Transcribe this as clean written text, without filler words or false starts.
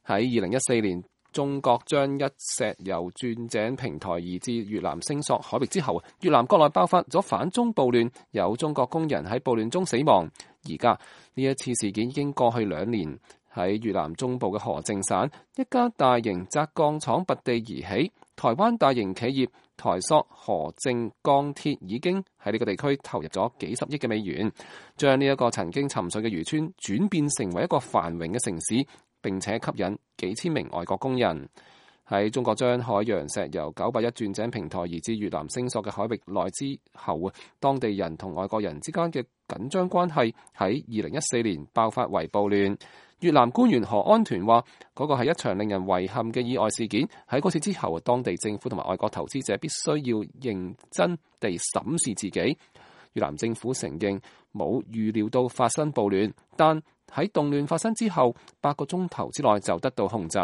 喺2014年，中國將一石油鑽井平台移至越南星索海域之後，越南國內爆發咗反中暴亂，有中國工人喺暴亂中死亡。而家呢一次事件已經過去2年，喺越南中部嘅河靜省，一家大型軋鋼廠拔地而起，台灣大型企業台塑河靜鋼鐵已經喺呢個地區投入咗幾十億嘅美元，將呢一個曾經沉睡嘅漁村轉變成為一個繁榮嘅城市，並且吸引幾千名外國工人。喺中國將海洋石油981鑽井平台移至越南星索嘅海域內之後，當地人同外國人之間嘅緊張關係喺2014年爆發為暴亂。越南官員何安團話，嗰個係一場令人遺憾嘅意外事件。喺嗰次之後，當地政府同埋外國投資者必須要認真地審視自己。越南政府承認冇預料到發生暴亂，但喺動亂發生之後8個鐘頭之內就得到控制。